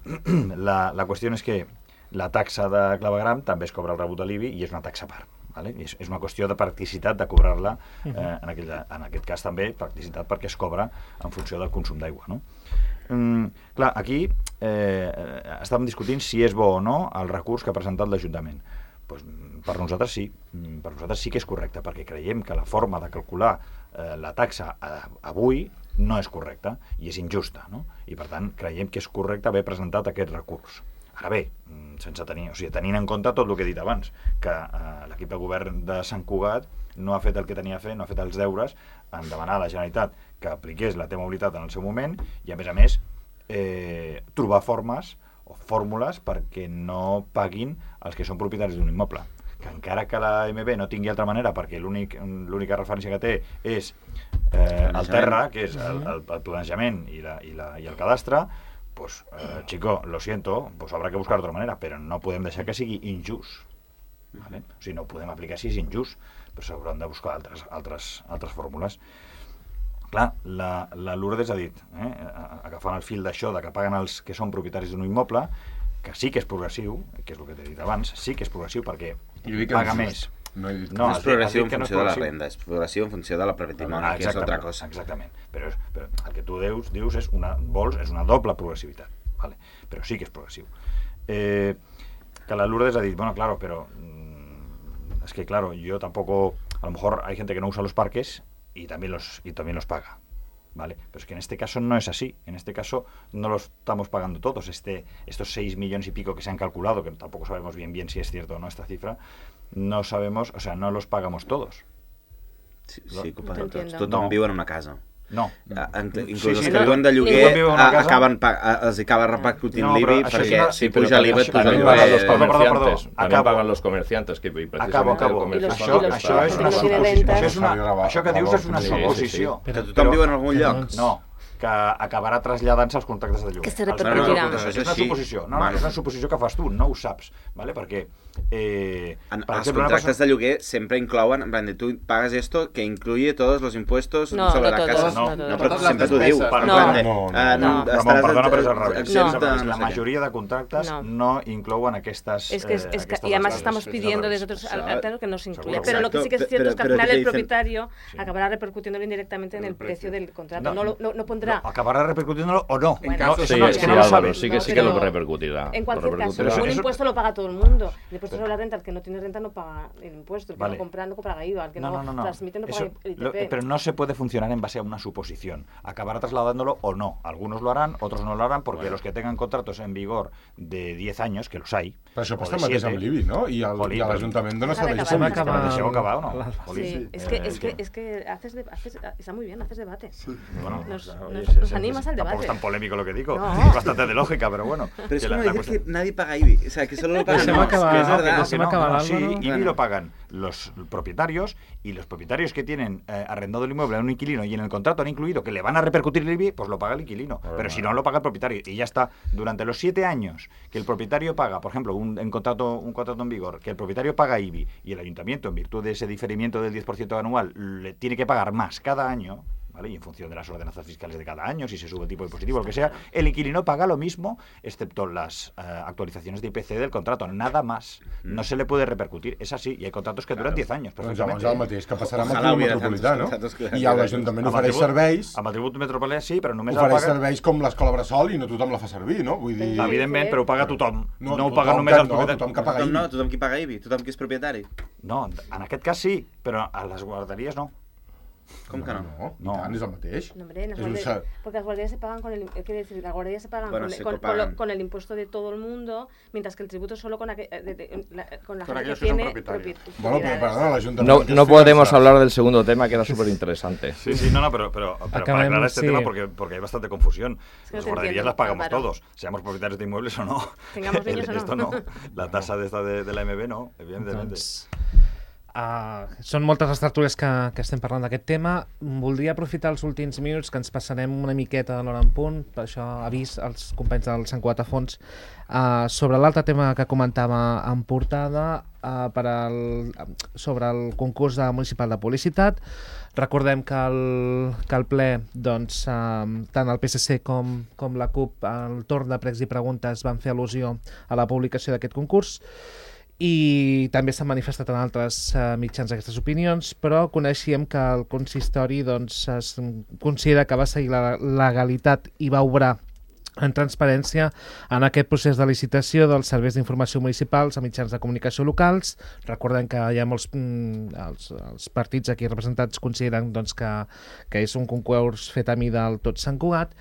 la, la qüestió és que la taxa de clavegram també es cobra el rebut de l'I B I i és una taxa a part. Vale? És, és una qüestió de practicitat de cobrar-la, eh, en, aquell, en aquest cas també practicitat perquè es cobra en funció del consum d'aigua. No? Mm, clar, aquí eh, estàvem discutint si és bo o no el recurs que ha presentat l'Ajuntament. Pues, per nosaltres sí, per nosaltres sí que és correcte, perquè creiem que la forma de calcular eh, la taxa eh, avui no és correcta i és injusta, no? I per tant creiem que és correcte haver presentat aquest recurs. Ara bé, sense tenir, o sigui, tenint en compte tot el que he dit abans, que eh, l'equip de govern de Sant Cugat no ha fet el que tenia a fer, no ha fet els deures en demanar a la Generalitat que apliqués la T-mobilitat en el seu moment i, a més a més, eh, trobar formes o fórmules perquè no paguin els que són propietaris d'un immoble. Que encara que la M B no tingui altra manera, perquè l'únic, l'única referència que té és eh, el terra, que és el, el, el planejament i, la, i, la, i el cadastre, pues, eh, chico, lo siento, pues habrá que buscar otra manera, però no podem deixar que sigui injust. ¿Vale? O sigui, no ho podem aplicar si és injust, però s'hauran de buscar altres, altres, altres fórmules. Clar, la, la Lourdes ha dit, eh, agafant el fil d'això, de que paguen els que són propietaris d'un immoble, que sí que és progressiu, que és el que t'he dit abans, sí que és progressiu perquè paga més No he dit No, No has és dit- progressiu has dit en que no és funció de la progressiu. renda, és progressiu en funció de la patrimoni, Ah, que és altra exactament, cosa. Exactament, però, és- però el que tu dius, dius és una, vols, és una doble progressivitat, ¿vale? Però sí que és progressiu. Eh, que la Lourdes ha dit, bueno, claro, pero mm, es que claro, yo tampoco, a lo mejor hay gente que no usa los parques y también los, y también los paga. ¿Vale? Pero es que en este caso no es así. En este caso no lo estamos pagando todos. Este, estos seis millones y pico que se han calculado, que tampoco sabemos bien bien si es cierto o no esta cifra, no sabemos, o sea, no los pagamos todos. Sí, sí que ho paguen No tots. t'entiendo. Tothom No. viu en una casa. No. Ah, ent- Sí, Inclús sí, els que no. viuen de Ningú lloguer viu en una a- casa. acaben pa- a- els acaba repercutint No, però l'I B I això és perquè una- si pero puja l'I V et también puja también l'I pagan los V. Perdó, perdó, perdó. comerciantes, también Acabo. pagan los comerciantes, que precisamente Acabo, el acabo. comercio I los- fa Això, i los- això és una i los suposició. rentas. Això, és una, això que dius és una Sí, sí, sí. suposició. Que tothom viu en algun lloc. Doncs- No, que acabarà traslladant-se als contractes de lloguer. Que se Els- repercutirà. No, no, no, és una Això sí. suposició. No, no, Bueno. és una suposició que fas tu, no ho saps, ¿vale? Perquè, eh, En, per els exemple, una contractes persona- de lloguer sempre inclouen, en plan de tu pagas esto que incluye todos los impuestos No, sobre no la todos, casa. no no, todos. però Totes sempre les t'ho diu. despeses. En No. plan de, No, no, eh, no. estaràs Ramon, perdona, però és al revés. exempta, La no sé què. majoria de contractes No. no inclouen aquestes... Es que, es, eh, es que aquestes y además despeses. estamos Es pidiendo al desde revés. otros Exacto. alternos que no se incluya. Seguro. Pero lo que sí que es Exacto, cierto pero- es que al pero final ¿qué te el dicen? propietario Sí. acabará repercutiéndolo indirectamente en En el el precio precio. del contrato. No. No, lo- no, no pondrá. No, acabará repercutiéndolo o no. Bueno, no, sí, eso Sí, no, es sí, que no lo Álvaro, sabes. sí que No, sí que lo pero repercutirá. En lo cualquier caso, repercutirá. un Eso- impuesto lo paga todo el mundo. El impuesto sobre la renta, el que no tiene renta no paga el impuesto. El que Vale. no compra no paga I V A. El que No, no, no, no, no. transmite no paga Eso, el lo- I T P. pero no se puede funcionar en base a una suposición. Acabará trasladándolo o no. Algunos lo harán, otros no lo harán, porque los que tengan contratos en vigor de diez años, que los hay, Però això o passa de el mateix siete, amb l'I B I, no? I, el, Jolín, i a però- l'Ajuntament dona S'ha serveis d'acabar. públics. S'ha d'acabar. Deixeu acabar o no? L'Alba. Jolín. Sí, es Eh, que, es que, es que haces, de- haces, está muy bien, haces debate. Bueno, Nos- claro, nos- oye, nos sí, animas sí, al tampoco debate. es tan polémico lo que digo. No. Es bastante de lógica, pero bueno. Pero es Que como la- la decir cuestión- que nadie paga I B I. O sea, que solo lo pagan Deixem los, acabar, que es no, verdad. que Deixem acabar, Sí, Álvaro. I B I Bueno. lo pagan los propietarios y los propietarios que tienen eh, arrendado el inmueble a un inquilino y en el contrato han incluido que le van a repercutir el I B I, pues lo paga el inquilino. Pero si no, lo paga el propietario. Y ya está. Durante los siete años que el propietario paga, por ejemplo, un, en contrato, un contrato en vigor, que el propietario paga I B I y el ayuntamiento, en virtud de ese diferimiento del diez por ciento anual, le tiene que pagar más cada año, ¿vale? Y en función de las ordenanzas fiscales de cada año, si se sube el tipo impositivo, lo que sea, el inquilino paga lo mismo, excepto las eh, actualizaciones de I P C del contrato, nada más. No se le puede repercutir, es así, y hay contratos que duran diez años. Doncs llavors el mateix que passarà amb el Ojalà tribut hubiera metropolità, tantos no? contratos que- I l'Ajuntament Amb el ofereix tribut- serveis, Amb el tribut metropolità sí, però només el ofereix paga... serveis com l'escola Bressol i no tothom la fa servir, no? Vull dir... Evidentment, però ho paga tothom. No, No, ho paga tothom només que- el no, propietari. tothom que paga Tothom I B I. no, tothom qui paga I B I, tothom qui és propietari. No, en aquest cas sí, però a les guarderies no. Com que no? No, No. i tant, és el mateix. No, hombre, las És un guarderías- ser- porque las guarderías se pagan con el, eh, quiere decir, las guarderías se pagan, Bueno, con, sí, con- que con lo- pagan. con el impuesto de todo el mundo, mientras que el tributo solo con, aqu- eh, de- de- la, con la Con gente aquellos que que son tiene propietarios. propi- Bueno, però, propiedades. perdona, l'Ajuntament... No, que no es podemos finança. hablar del segundo tema, que era súper interesante. Sí, sí, no, no, pero, pero, pero para Acabemos, aclarar este sí. tema, porque, porque hay bastante confusión. Es que no Las te guarderías entiendo, las pagamos Álvaro. todos, seamos propietarios de inmuebles o no. Tengamos niños o no. Esto no. La tasa de esta de, de la M B no, evidentemente. Doncs, uh, són moltes les tertúlies que, que estem parlant d'aquest tema. Voldria aprofitar els últims minuts que ens passarem una miqueta de l'hora en punt, per això avís als companys del Sant Cugat a Fons, uh, sobre l'altre tema que comentava en portada, uh, per al, sobre el concurs de municipal de publicitat. Recordem que el, que el ple, doncs, uh, tant el P S C com, com la CUP, al torn de pregs i preguntes, van fer al·lusió a la publicació d'aquest concurs, i també s'han manifestat en altres uh, mitjans aquestes opinions, però coneixíem que el consistori doncs, es considera que va seguir la legalitat i va obrar en transparència en aquest procés de licitació dels serveis d'informació municipals a mitjans de comunicació locals. Recordem que hi ha molts mm, els, els partits aquí representats consideren doncs, que, que és un concurs fet a mida del tot Sant Cugat,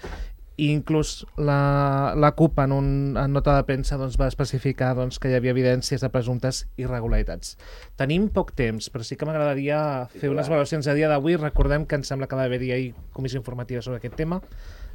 i inclús la, la CUP en, un, en nota de premsa doncs, va especificar doncs, que hi havia evidències de presumptes irregularitats. Tenim poc temps, però sí que m'agradaria fer unes valoracions a dia d'avui. Recordem que em sembla que va haver-hi ahir comissió informativa sobre aquest tema,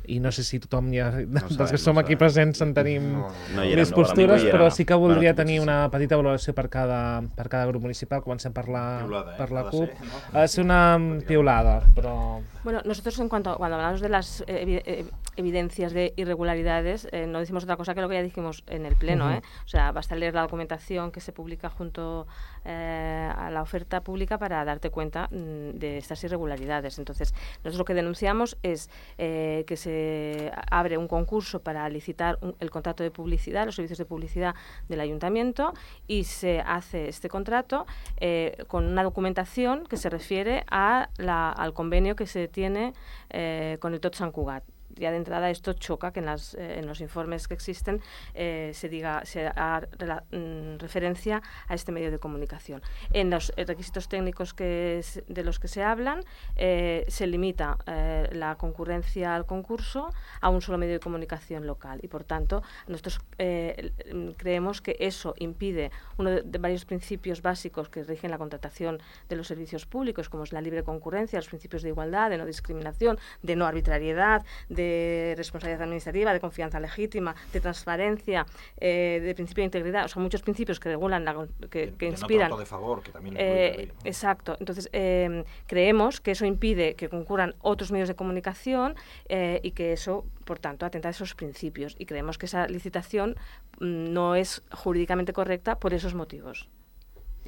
i no sé si tothom ja, no dels sabem, que som no aquí sabem. presents en tenim No, No hi més érem, no, postures, no hi però érem. sí que voldria Bueno, tenir potser una petita valoració per cada, per cada grup municipal. Comencem per la, Piulada, eh? per la Ha de CUP. ser, ¿no? Ha de ser una piulada, però... Bueno, nosotros en cuanto cuando hablamos de las eh, evi- eh, evidencias de irregularidades, eh, no decimos otra cosa que lo que ya dijimos en el pleno, Ujú. ¿eh? O sea, basta leer la documentación que se publica junto eh, a la oferta pública para darte cuenta mm, de estas irregularidades. Entonces, nosotros lo que denunciamos es eh, que se se abre un concurso para licitar un, el contrato de publicidad, los servicios de publicidad del ayuntamiento, y se hace este contrato eh, con una documentación que se refiere a la, al convenio que se tiene eh, con el Tot Sant Cugat. Ya de entrada esto choca que en, las, eh, en los informes que existen eh, se diga se haga mm, referencia a este medio de comunicación. En los eh, requisitos técnicos que es, de los que se hablan eh, se limita eh, la concurrencia al concurso a un solo medio de comunicación local y por tanto nosotros eh, creemos que eso impide uno de, de varios principios básicos que rigen la contratación de los servicios públicos, como es la libre concurrencia, los principios de igualdad, de no discriminación, de no arbitrariedad, de de responsabilidad administrativa, de confianza legítima, de transparencia, eh, de principio de integridad, o sea, muchos principios que regulan, la, que, que de inspiran. No trato de favor, que también eh, exacto. Entonces, eh, creemos que eso impide que concurran otros medios de comunicación eh, y que eso, por tanto, atenta a esos principios. Y creemos que esa licitación mm, no es jurídicamente correcta por esos motivos.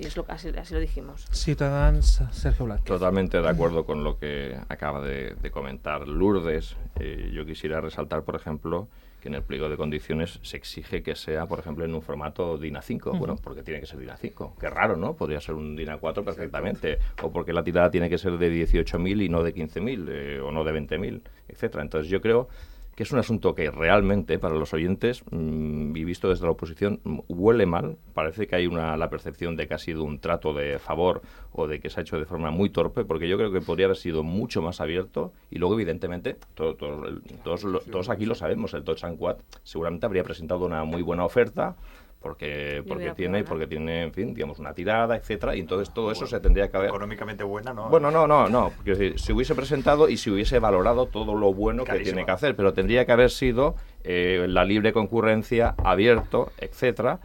Y es lo, así, así lo dijimos. Ciutadans, Sergio Blázquez. Totalmente de acuerdo con lo que acaba de, de comentar Lourdes. Eh, yo quisiera resaltar, por ejemplo, que en el pliego de condiciones se exige que sea, por ejemplo, en un formato DIN A cinco. Uh-huh. Bueno, porque tiene que ser DIN A cinco. Qué raro, ¿no? Podría ser un DIN A cuatro perfectamente. O porque la tirada tiene que ser de dieciocho mil y no de quince mil, eh, o no de veinte mil, etcétera. Entonces yo creo que es un asunto que realmente, para los oyentes, mmm, y visto desde la oposición, huele mal. Parece que hay una la percepción de que ha sido un trato de favor o de que se ha hecho de forma muy torpe, porque yo creo que podría haber sido mucho más abierto. Y luego, evidentemente, todo, todo, el, todos, lo, todos aquí lo sabemos, el Tot Sant Cugat seguramente habría presentado una muy buena oferta, porque porque tiene porque tiene en fin, digamos, una tirada, etcétera, y entonces todo eso bueno, se tendría que haber económicamente buena, ¿no? Bueno, no, no, no, porque si, si hubiese presentado y si hubiese valorado todo lo bueno Carísima. que tiene que hacer, pero tendría que haber sido eh, la libre concurrencia, abierto, etcétera,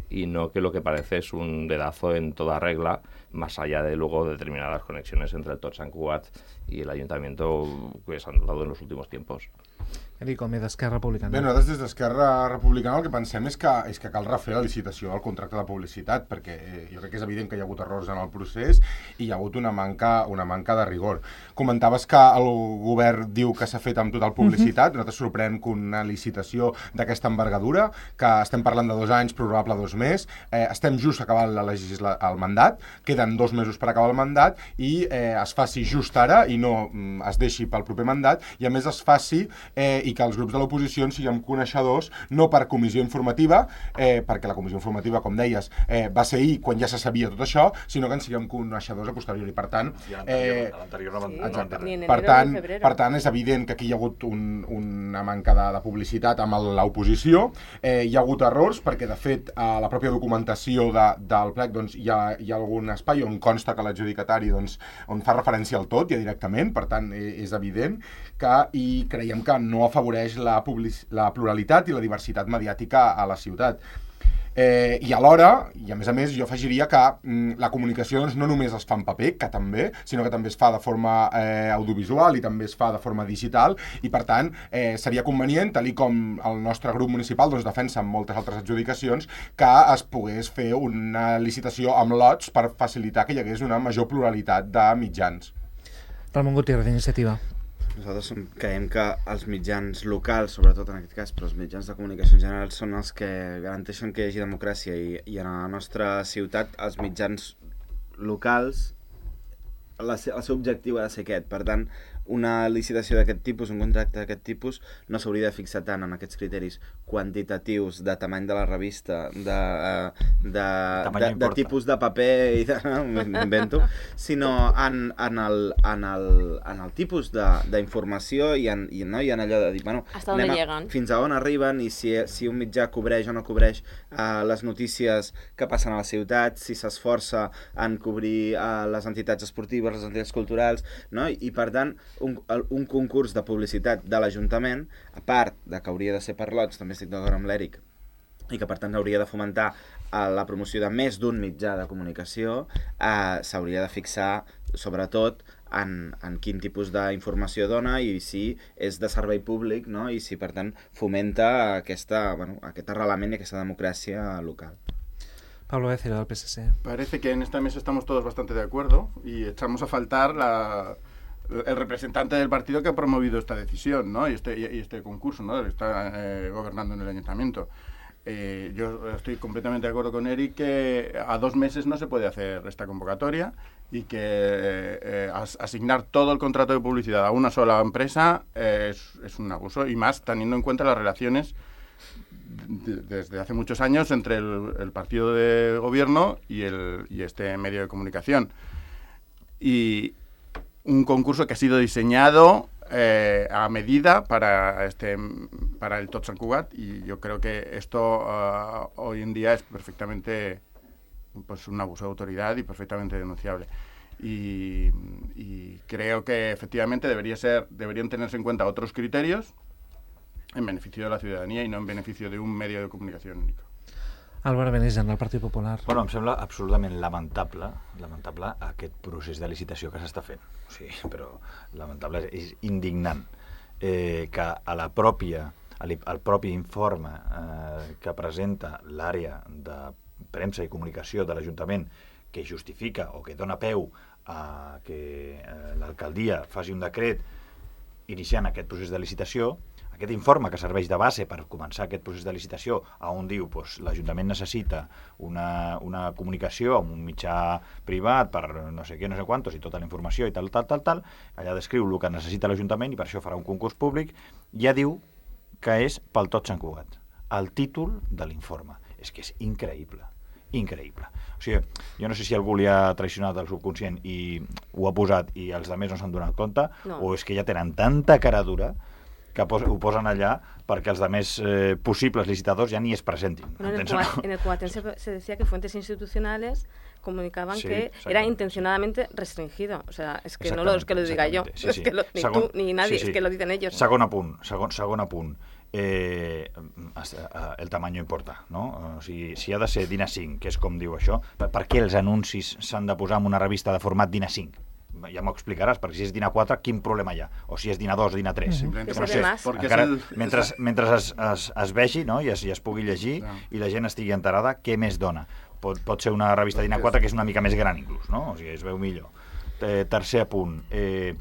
y no que lo que parece es un dedazo en toda regla, más allá de luego determinadas conexiones entre el Tot Sant Cugat y el ayuntamiento que se han dado en los últimos tiempos. Enrico, d'Esquerra Republicana. Bé, nosaltres des d'Esquerra Republicana el que pensem és que, és que cal refer la licitació del contracte de publicitat, perquè eh, jo crec que és evident que hi ha hagut errors en el procés i hi ha hagut una manca, una manca de rigor. Comentaves que el govern diu que s'ha fet amb total publicitat, uh-huh. nosaltres sorprèn que una licitació d'aquesta envergadura, que estem parlant de dos anys, probable dos més, eh, estem just acabant la legisla el mandat, queden dos mesos per acabar el mandat i eh, es faci just ara i no mm, es deixi pel proper mandat i a més es faci eh, i que els grups de l'oposició siguem coneixedors no per comissió informativa, eh, perquè la comissió informativa, com deies, eh, va ser ahir quan ja se sabia tot això, sinó que en siguem coneixedors a posteriori. Per tant, eh, per tant, per tant és evident que aquí hi ha hagut un, una manca de, de publicitat amb l'oposició, eh, hi ha hagut errors perquè de fet a la pròpia documentació de, del plec doncs, hi, ha, hi ha algun espai on consta que l'adjudicatari doncs, on fa referència al tot ja directament, per tant eh, és evident que i creiem que no afavoreix la, public, la pluralitat i la diversitat mediàtica a la ciutat. Eh, I alhora, i a més a més, jo afegiria que mm, la comunicació doncs, no només es fa en paper, que també, sinó que també es fa de forma eh, audiovisual i també es fa de forma digital i per tant eh, seria convenient, tal com el nostre grup municipal doncs, defensa en moltes altres adjudicacions, que es pogués fer una licitació amb lots per facilitar que hi hagués una major pluralitat de mitjans. Ramon Gutiérrez, d'Iniciativa. Nosaltres som, creiem que els mitjans locals, sobretot en aquest cas, però els mitjans de comunicació en general són els que garanteixen que hi hagi democràcia i, i en la nostra ciutat els mitjans locals, la, el seu objectiu ha de ser aquest. Per tant, una licitació d'aquest tipus, un contracte d'aquest tipus, no s'hauria de fixar tant en aquests criteris quantitatius de tamany de la revista, de, de, de, de tipus de paper i de, m'invento, sinó en, en, el, en, el, en el tipus d'informació i, en, i, no, i en allò de dir, bueno, a, fins a on arriben i si, si un mitjà cobreix o no cobreix uh, les notícies que passen a la ciutat, si s'esforça en cobrir uh, les entitats esportives, les entitats culturals, no? I, i per tant, Un, un concurs de publicitat de l'Ajuntament, a part de que hauria de ser per lots, també estic d'acord amb l'Eric, i que per tant hauria de fomentar eh, la promoció de més d'un mitjà de comunicació, eh, s'hauria de fixar sobretot en, en quin tipus d'informació dona i si és de servei públic, no? I si per tant fomenta aquesta, bueno, aquest arrelament i aquesta democràcia local. Pablo Becerra, del P S C. Parece que en esta mesa estamos todos bastante de acuerdo y echamos a faltar la... el representante del partido que ha promovido esta decisión, ¿no? y, este, y este concurso, ¿no? que está eh, gobernando en el ayuntamiento. Eh, yo estoy completamente de acuerdo con Eric que a dos meses no se puede hacer esta convocatoria y que eh, eh, as, asignar todo el contrato de publicidad a una sola empresa eh, es, es un abuso, y más teniendo en cuenta las relaciones de, desde hace muchos años entre el, el partido de gobierno y, el, y este medio de comunicación. Y un concurso que ha sido diseñado eh, a medida para este para el Tots Sant Cugat, y yo creo que esto uh, hoy en día es perfectamente pues un abuso de autoridad y perfectamente denunciable. Y, y creo que efectivamente debería ser deberían tenerse en cuenta otros criterios en beneficio de la ciudadanía y no en beneficio de un medio de comunicación único. Albert Benigent, del Partit Popular. Bueno, em sembla absolutament lamentable lamentable aquest procés de licitació que s'està fent. O sigui, però lamentable, és indignant eh, que a la pròpia, al propi informe eh, que presenta l'àrea de premsa i comunicació de l'Ajuntament, que justifica o que dona peu a que eh, l'alcaldia faci un decret iniciant aquest procés de licitació, aquest informe que serveix de base per començar aquest procés de licitació, on diu doncs, l'Ajuntament necessita una, una comunicació amb un mitjà privat per no sé què, no sé quantos, i tota la informació i tal, tal, tal, tal, allà descriu el que necessita l'Ajuntament i per això farà un concurs públic, ja diu que és pel Tots Sant Cugat. El títol de l'informe. És que és increïble. Increïble. O sigui, jo no sé si algú li ha traicionat el subconscient i ho ha posat i els altres no s'han donat compte, no. O és que ja tenen tanta cara dura que pos, ho posen allà perquè els demés eh, possibles licitadors ya ni es presentin. Bueno, en, el Cuat, en el Cuatén se, se decía que fuentes institucionales comunicaban sí, que era intencionadamente restringido. O sea, es que no lo, es que lo diga yo, sí, sí. Es que lo, ni segon, tú ni nadie, sí, sí. Es que lo dicen ellos. Segon apunt, segon, segon apunt. Eh, el tamaño importa, no? O sigui, si ha de ser DIN A cinc, que és com diu això, per, per què els anuncis s'han de posar en una revista de format DIN A cinc? Ja m'ho explicaràs, perquè si és DIN A quatre, quin problema hi ha? O si és DIN A dos, DIN A tres. Mm-hmm. No sé, encara, mentre mentre es, es, es vegi, no? I, es, i es pugui llegir no. I la gent estigui enterada, què més dona? Pot, pot ser una revista DIN A quatre que és una mica més gran inclús, no? O sigui, es veu millor. Eh, tercer apunt. Eh,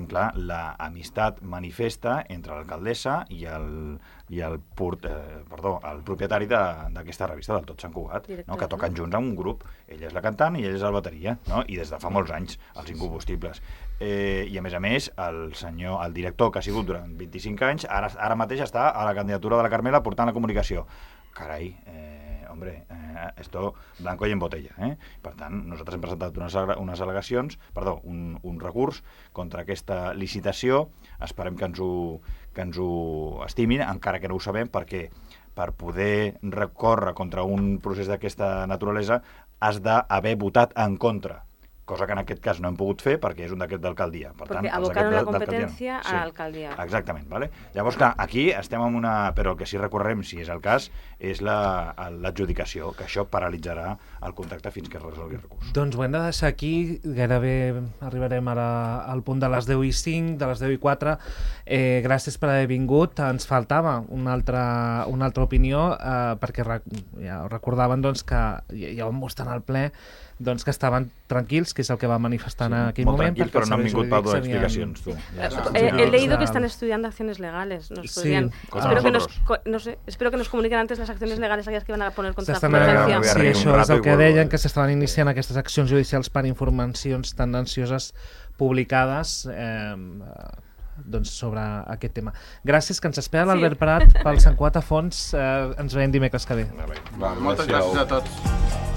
clar, la amistat manifesta entre l'alcaldessa i el, i el, port, eh, perdó, el propietari d'aquesta revista del Tots Sant Cugat, no? Que toquen junts en un grup. Ella és la cantant i ell és el bateria, no? I des de fa molts anys, els incombustibles. Eh, I a més a més, el senyor, el director que ha sigut durant vint-i-cinc anys, ara, ara mateix està a la candidatura de la Carmela portant la comunicació. Carai, eh, hombre, eh, esto blanco y en botella, eh? Per tant, nosaltres hem presentat unes, unes al·legacions, perdó, un, un recurs contra aquesta licitació. Esperem que ens ho, que ens ho estimin, encara que no ho sabem, perquè per poder recórrer contra un procés d'aquesta naturalesa has d'haver votat en contra, cosa que en aquest cas no hem pogut fer perquè és un decret d'alcaldia. Per perquè tant, abocaron la competència no. Sí, a l'alcaldia. Exactament, vale? Llavors, clar, aquí estem en una... Però el que sí recorrem, si és el cas, és l'adjudicació, que això paralitzarà el contracte fins que es resolgui el recurs. Doncs ho hem de deixar aquí, gairebé arribarem ara al punt de les deu i cinc, de les deu i quatre. Eh, gràcies per haver vingut. Ens faltava una altra, una altra opinió, eh, perquè rec ja recordaven doncs, que ja vam mostrar al ple doncs que estaven tranquils, que és el que va manifestar sí, en aquell molt moment. Molt tranquils, però no han vingut per donar explicacions. Tu. Ja, ja. He, he leído que están estudiando acciones legales. Nos sí. podrían, Ah, espero, que nos, no sé, espero que nos comuniquen antes las acciones legales aquellas que van a poner contra la competencia. Sí, això és el que deien, que s'estaven iniciant aquestes accions judicials per informacions tendencioses publicades eh, doncs sobre aquest tema. Gràcies, que ens espera l'Albert sí. Prat pel Sant Cugat a fons. Eh, ens veiem dimecres que ve. Va, moltes gràcies a tots.